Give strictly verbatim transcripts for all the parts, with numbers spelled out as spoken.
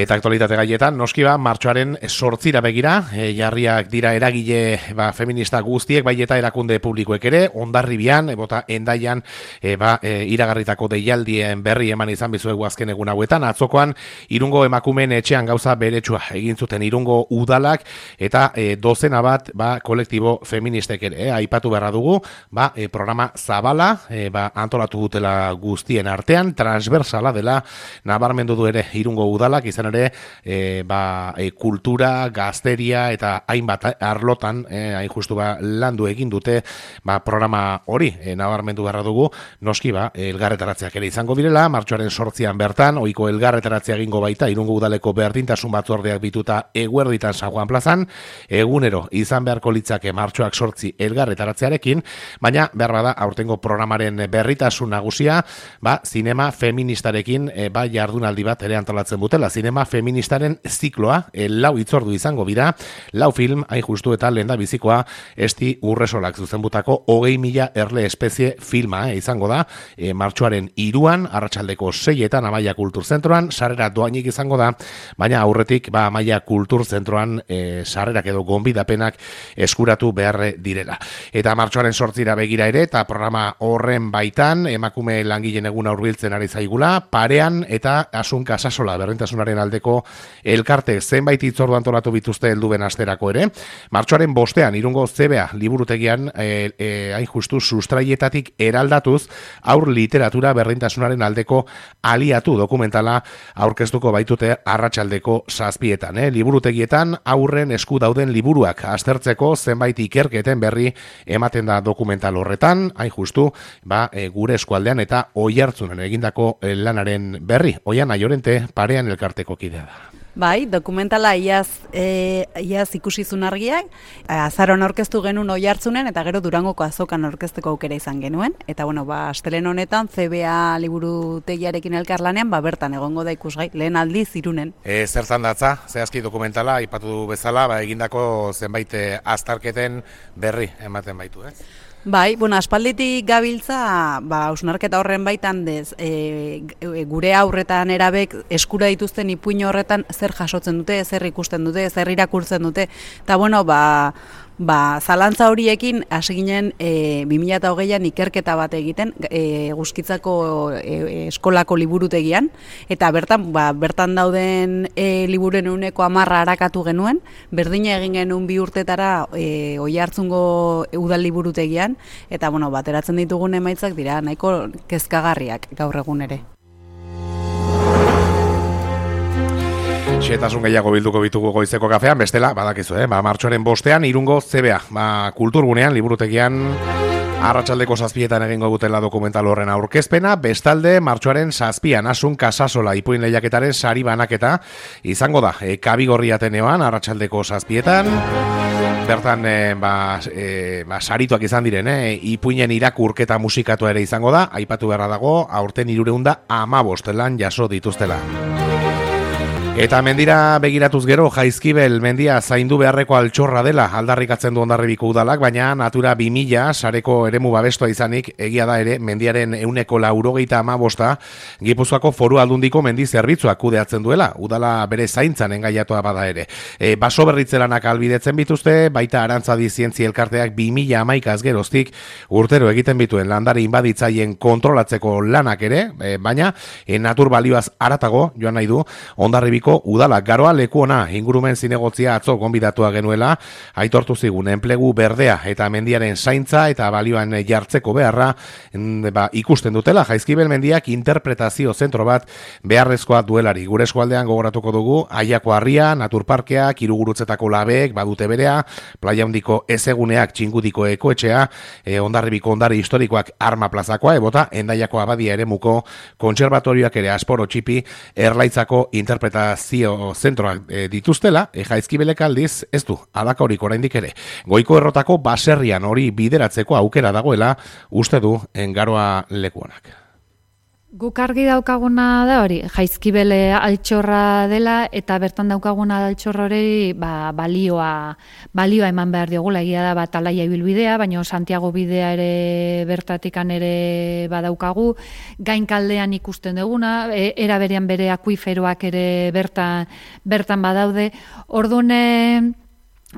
Eta aktualitate gaietan, noski ba, martxoaren sortzira begira, e, jarriak dira eragile ba, feminista guztiek, bai eta erakunde publikoek ere, Hondarribian, e, bota Hendaian, e, ba, e, iragarritako deialdien berri eman izan bizuegu azken egun hauetan, atzokoan Irungo emakumeen etxean gauza beretsua egin zuten Irungo udalak, eta e, dozena bat ba, kolektibo feministek ere, e, aipatu beharra dugu, ba, e, programa zabala, e, ba, antolatu dutela guztien artean, transversala dela, nabarmendu du ere Irungo udalak, izan ere e, ba, e, kultura, gazteria eta hainbat arlotan e, hain justu ba, landu egin dute ba, programa hori e, nabarmendu beharra dugu, noski ba, elgarretaratzeak ere izango direla, martxoaren sortzian bertan, ohiko elgarretaratzea egingo baita Irungo udaleko berdintasun batzordeak bituta eguerditan San Juan plazan, egunero izan beharko litzake martxoak sortzi elgarretaratzearekin, baina behar bada aurtengo programaren berritasun nagusia, ba, zinema feministarekin e, ba, jardunaldi bat ere antolatzen dutela, zinema feministaren zikloa, e, lau itzordu izango bira, lau film, hain justu eta lehen da bizikoa, esti urresolak zuzenbutako hogei mila erle espezie filma e, izango da, e, martxoaren iruan, arratsaldeko seietan Amaia Kulturzentroan, sarrera doainik izango da, baina aurretik ba, Amaia Kulturzentroan e, sarrerak edo gonbidapenak eskuratu beharre direla. Eta martxoaren sortzira begira ere, eta programa horren baitan, emakume langileen eguna hurbiltzen ari zaigula, parean eta Asun Kasasola berdintasunaren aldeko elkarte zenbait hitzordu antolatu bituzte helduben asterako ere. Martxoaren bostean Irungo Zebea liburutegian e, e, hain justu sustraietatik eraldatuz aur literatura berdintasunaren aldeko aliatu dokumentala aurkeztuko baitute arratsaldeko zazpietan. Eh? Liburutegietan aurren esku dauden liburuak aztertzeko zenbait ikerketen berri ematen da dokumental horretan, hain justu ba, e, gure eskualdean eta Oiartzunen egindako e, lanaren berri. Oian Aiorente parean elkarteko kidea da. Bai, dokumentala iaz, e, iaz ikusizun argiak, azaron aurkeztu genuen Oiartzunen eta gero Durangoko azokan aurkezteko aukera izan genuen. Eta bueno, ba, astelen honetan C B A liburutegiarekin elkarlanean, ba, bertan egongo da ikusgai, lehen aldiz Irunen. E, zertan datza, zehazki dokumentala, aipatu bezala, ba, egindako zenbait aztarketen berri ematen baitu, ez? Eh? Bai, bueno, aspalditik gabiltza, ba, hausnarketa horren baitan dez, e, gure aurretan erabek eskura dituzten ipuin horretan zer jasotzen dute, zer ikusten dute, zer irakurtzen dute, eta bueno, ba, ba, zalantza horiekin hasi ginen e, bi mila hogeian ikerketa bat egiten e, Guzkitzako e, eskolako liburutegian, eta bertan, ba, bertan dauden e, liburen ehuneko hamarra arakatu genuen, berdina egin genuen bi urtetara e, Oiartzungo udal liburutegian, eta bueno, bateratzen ditugun emaitzak dira nahiko kezkagarriak gaur egun ere. Xetasun gehiago bilduko bitugu goizeko kafean, bestela, badakizu, eh? Ba, martxoaren bostean, Irungo C B A, ba, kulturgunean, liburutegian, arratsaldeko zazpietan egingo dutela dokumental horren aurkezpena, bestalde, martxoaren zazpian, Asun Kasasola ipuin lehiaketaren sari banaketa, izango da, e, Kabigorri Ateneoan, arratsaldeko zazpietan, bertan, e, ba, e, ba, sarituak izan diren, eh? Ipuinen irakurketa musikatua ere izango da, aipatu beharra dago, aurten hirureunda hamabost lan jaso dituztela. Eta mendira begiratuz gero, Jaizkibel mendia zaindu beharreko altxorra dela aldarrikatzen du Hondarribiko udalak, baina Natura bi mila sareko eremu babestua izanik, egia da ere, mendiaren ehuneko laurogeita hamabosta Gipuzkoako Foru Aldundiko mendi zerbitzuak kudeatzen duela, udala bere zaintzan engaiatua bada ere. E, baso berritzelanak albidetzen bituzte, baita Arantzadi Zientzia Elkarteak bi mila hamaikaz geroztik urtero egiten bituen landare inbaditzaien kontrolatzeko lanak ere, e, baina e, natur balioaz aratago, joan nahi du, Hondarribiko udala garoa leku ona ingurumen zinegotzia atzo gonbidatua genuela, aitortu zigun enplegu berdea eta mendiaren zaintza eta balioan jartzeko beharra ba, ikusten dutela. Jaizkibel mendiak interpretazio zentro bat beharrezkoa duelari. Gure eskualdean gogoratuko dugu Aiako Harria, Naturparkeak, Hirugurutzetako Labeek badute berea, Playa Handiko Ezeguneak, Txingudiko Ekoetxea, e, Hondarribiko ondare historikoak Arma Plazakoa, ebota Hendaiako Abadia eremuko kontserbatorioak ere Asporo Txipi, Erlaitzako interpretazio zio zentroak e, dituztela, e, Jaizkibelek aldiz ez du alakaorik oraindik ere. Goiko errotako baserrian hori bideratzeko aukera dagoela uste du engaroa lekuonak. Guk argi daukaguna da hori, Jaizkibel altxorra dela eta bertan daukaguna altxorra hori ba, balioa, balioa eman behar diogula, egia da bat alaia ibilbidea, baina Santiago bidea ere bertatikan ere badaukagu, gainkaldean ikusten duguna, e, era berean bere akuiferoak ere bertan, bertan badaude, orduan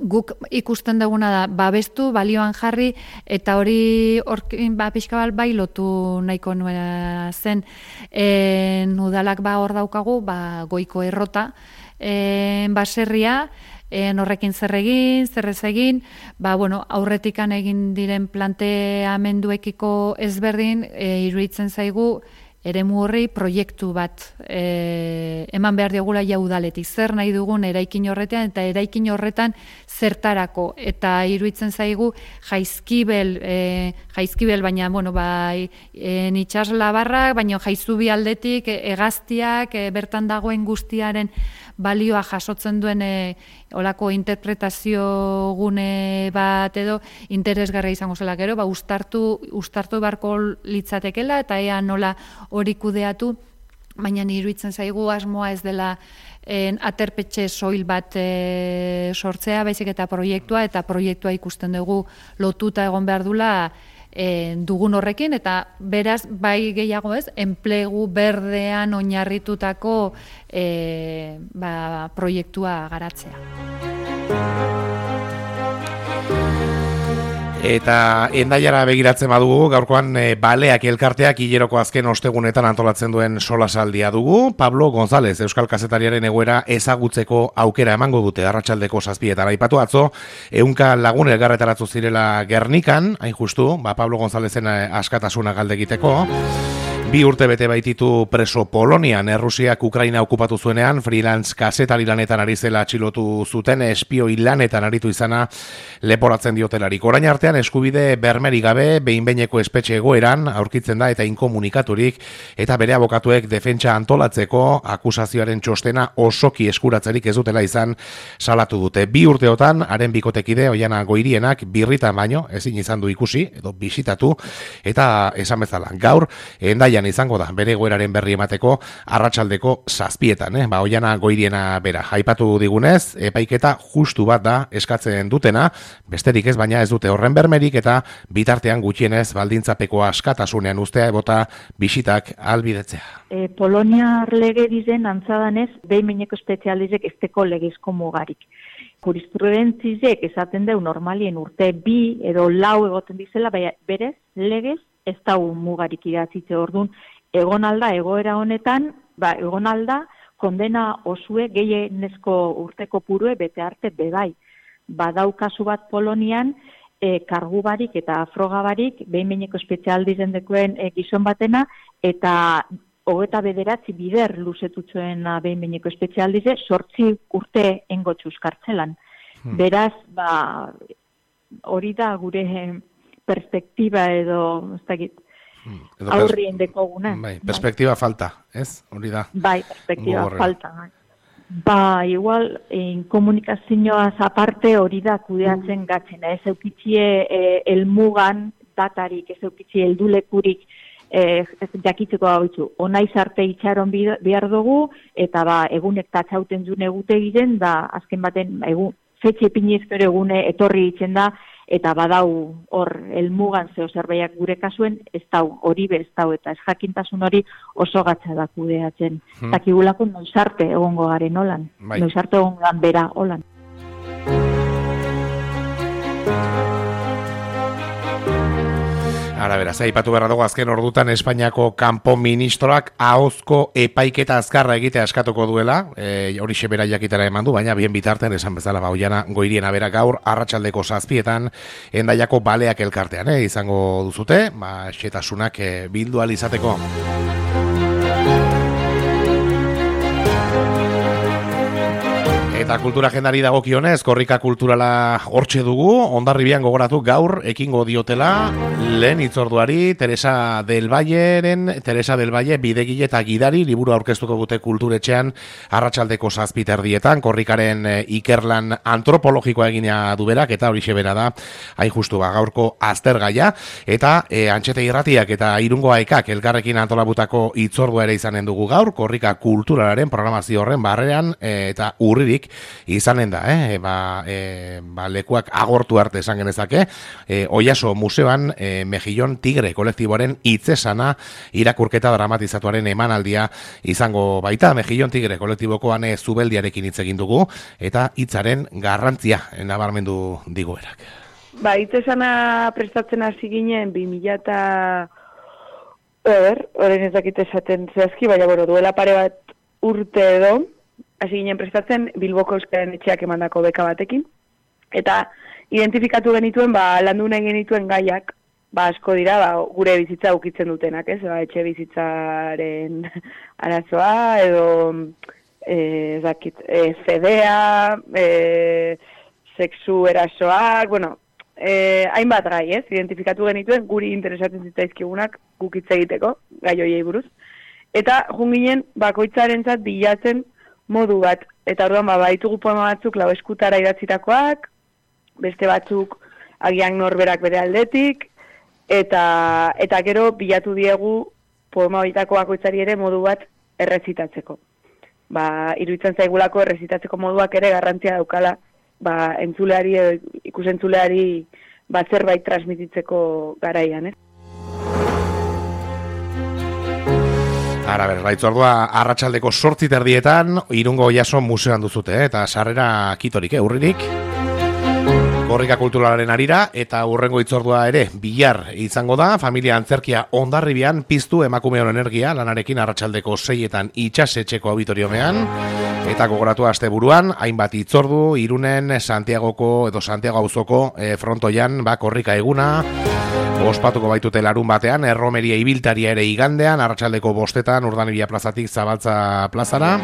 guk ikusten duguna da, babestu, balioan jarri, eta hori orkin, ba, pixka bat bai lotu nahiko nuena zen. E, udalak ba hor daukagu, ba, goiko errota, e, baserria, e, horrekin zer egin, zer ez egin, ba, bueno, aurretikan egin diren planteamenduekiko ezberdin, e, iruditzen zaigu, eremu horri proiektu bat e, eman behar diogula ja udaletik. Zer nahi dugun eraikin horretan eta eraikin horretan zertarako. Eta iruditzen zaigu Jaizkibel, e, Jaizkibel baina, bueno, bai, e, itxas labarrak, baina Jaizubi aldetik, e, hegaztiak, e, bertan dagoen guztiaren balioa jasotzen duen e, olako interpretazio gune bat edo interesgarria izango zela gero, ba, ustartu, ustartu barko litzatekela eta ea nola hori kudeatu, baina iruditzen zaigu asmoa ez dela en, aterpetxe soil bat e, sortzea, baizik eta proiektua, eta proiektua ikusten dugu lotuta egon behar dula e, dugun horrekin, eta beraz, bai gehiago ez, enplegu berdean oinarritutako e, ba, proiektua garatzea. Eta Hendaiara begiratzen badugu, gaurkoan e, baleak elkarteak hileroko azken ostegunetan antolatzen duen solasaldia dugu. Pablo González, Euskal Kazetariaren egoera ezagutzeko aukera emango dute arratsaldeko zazpietan. Aipatu atzo, ehunka lagun elgarretaratzu zirela Gernikan, hain justu, ba, Pablo Gonzálezen askatasuna galde egiteko. Bi urte bete baititu preso Polonian, Errusiak Ukraina okupatu zuenean, freelance kazetari lanetan ari zela atxilotu zuten, espioi lanetan aritu izana leporatzen diotelarik. Orain artean eskubide bermeri gabe, behin-behineko espetxe egoeran, aurkitzen da eta inkomunikaturik, eta bere abokatuek defentsa antolatzeko akusazioaren txostena osoki eskuratzerik ez dutela izan salatu dute. Bi urteotan, haren bikotekide, Oiana Goirienak, birritan baino, ezin izan du ikusi, edo bisitatu, eta esan bezala, gaur, Hendaian izango da, bere egoeraren berri emateko arratsaldeko zazpietan, eh? Ba, Oiana Goiriena bera. Aipatu digunez, epaiketa justu bat da eskatzen dutena, besterik ez, baina ez dute horren bermerik eta bitartean gutxienez baldintzapeko askatasunean ustea ebota bisitak albidetzea. E, Poloniar lege dizen antzadanez, behin-behineko espezializek esteko legezko mugarik. Jurisprudentzizek esaten deu normalien urte bi edo lau egoten dizela, baina berez legez ez da mugarik idatzitze orduan, egon alda egoera honetan, ba, egon alda kondena osue gehienezko urteko purue bete arte bebai. Badau kasu bat Polonian, e, kargu barik eta froga barik, behin-behineko espezialdizen dekoen e, gizon batena, eta hogeta bederatzi bider luzetutzuen behin-behineko espezialdize, sortzi urte engotxuz kartzelan. Hmm. Beraz, ba, hori da gure perspektiba edo, ez dakit, hmm. aurrien dekoguna. Bai, perspektiba bai. Falta, ez? Hori da. Bai, perspektiba falta. Bai. Ba, igual, en komunikazioaz aparte hori da kudeatzen gatzena. Ez eukitzie e, elmugan datarik, ez eukitzie eldulekurik e, jakitzeko gautzu. Onaiz arte itxaron behar dugu, eta ba, egunek tatxauten dune egute egiten, da azken baten, egun, fetxe pinizkero egune etorri itzen da, eta badau hor elmugan zeo zerbaiak gure kasuen, ez dau, hori be ez dau, eta ez jakintasun hori oso gatza da kudeatzen. Hmm. Takigulako noizarte egongo garen holan, bai. Noizarte egongo dan bera holan. Ara beraz, aipatu beharra dugu azken ordutan Espainiako kanpo ministroak ahozko epaiketa azkarra egitea eskatuko duela, e, hori xebera jakitera eman du, baina bien bitartean esan bezala ba, Oiana Goiriena bera gaur arratsaldeko zazpietan Hendaiako baleak elkartean, eh, izango duzute, ba, xetasunak e, bildu ahal izateko. Eta kultura agendari dagokionez, korrika kulturala hortxe dugu, Hondarribian gogoratu gaur ekingo diotela lehen hitzorduari Teresa del Valleren, Teresa del Valle bidegile eta gidari liburu aurkeztuko dute kulturetxean arratsaldeko zazpi terdietan, korrikaren ikerlan antropologikoa egina du berak eta horixe bera da hain justu ba gaurko aztergaia eta e, Antxete Irratiak eta Irungo Aekak elkarrekin antolabutako hitzordua ere izanen dugu gaur, korrika kulturalaren programazio horren barrean e, eta urririk izanen da, eh? ba, e, ba, lekuak agortu arte esan genezake, e, Oiaso museoan e, Mejillon Tigre kolektiboaren hitzesana irakurketa dramatizatuaren emanaldia izango baita. Mejillon Tigre kolektibokoan e, Zubeldiarekin hitz egin dugu eta hitzaren garrantzia nabarmendu digu berak. Ba, hitzesana prestatzen hasi ginen bi mila eta Eber, horren ez dakit esaten zehazki, baina bueno, duela pare bat urte edo, hasi ginen prestatzen Bilboko Euskaren Etxeak emandako beka batekin. Eta identifikatu genituen, ba, landu nahi genituen gaiak, ba, asko dira, ba, gure bizitza ukitzen dutenak, ez? Ba, etxe bizitzaren arazoa, edo, e, zakit, e, zedea, e, sexu erasoak, bueno, e, hainbat gai, ez? Identifikatu genituen, guri interesatzen zitzaizkigunak gukitze egiteko, gai horiei buruz. Eta, junginen, bakoitzarentzat bilatzen modu bat, eta orduan ba, baitugu poema batzuk lau eskutara idatzitakoak, beste batzuk agian norberak bere aldetik, eta eta gero bilatu diegu poema bitako bakoitzari ere modu bat errezitatzeko. Ba, iruditzen zaigulako errezitatzeko moduak ere garrantzia daukala, ba, entzuleari, ikusentzuleari ba, zerbait transmititzeko garaian, ez? Ara ber, baitzordua arratsaldeko zortzi terdietan Irungo Oiaso museoan duzute, eh? Eta sarrera kitorik, eh? Urririk. Korrika kulturalaren arira eta urrengo hitzordua ere bihar izango da, familia antzerkia Hondarribian piztu emakumeon energia lanarekin arratsaldeko seietan itxasetxeko auditoriomean. Eta gogoratu asteburuan hainbat hitzordu Irunen Santiagoko edo Santiago auzoko e, frontoian ba korrika eguna ospatuko baitute larun batean, erromeria ibiltaria ere igandean, arratsaldeko bostetan Urdanibia plazatik Zabaltza plazara.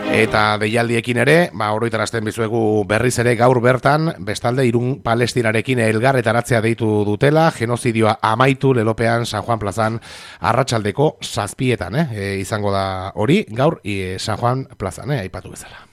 Eta deialdiekin ere, ba, oroitarazten bizuegu berriz ere gaur bertan, bestalde Irun Palestinarekin elgarretaratzea deitu dutela, genozidioa amaitu lelopean San Juan plazan arratsaldeko zazpietan, eh? E, izango da hori, gaur e, San Juan plazan, eh? Aipatu bezala.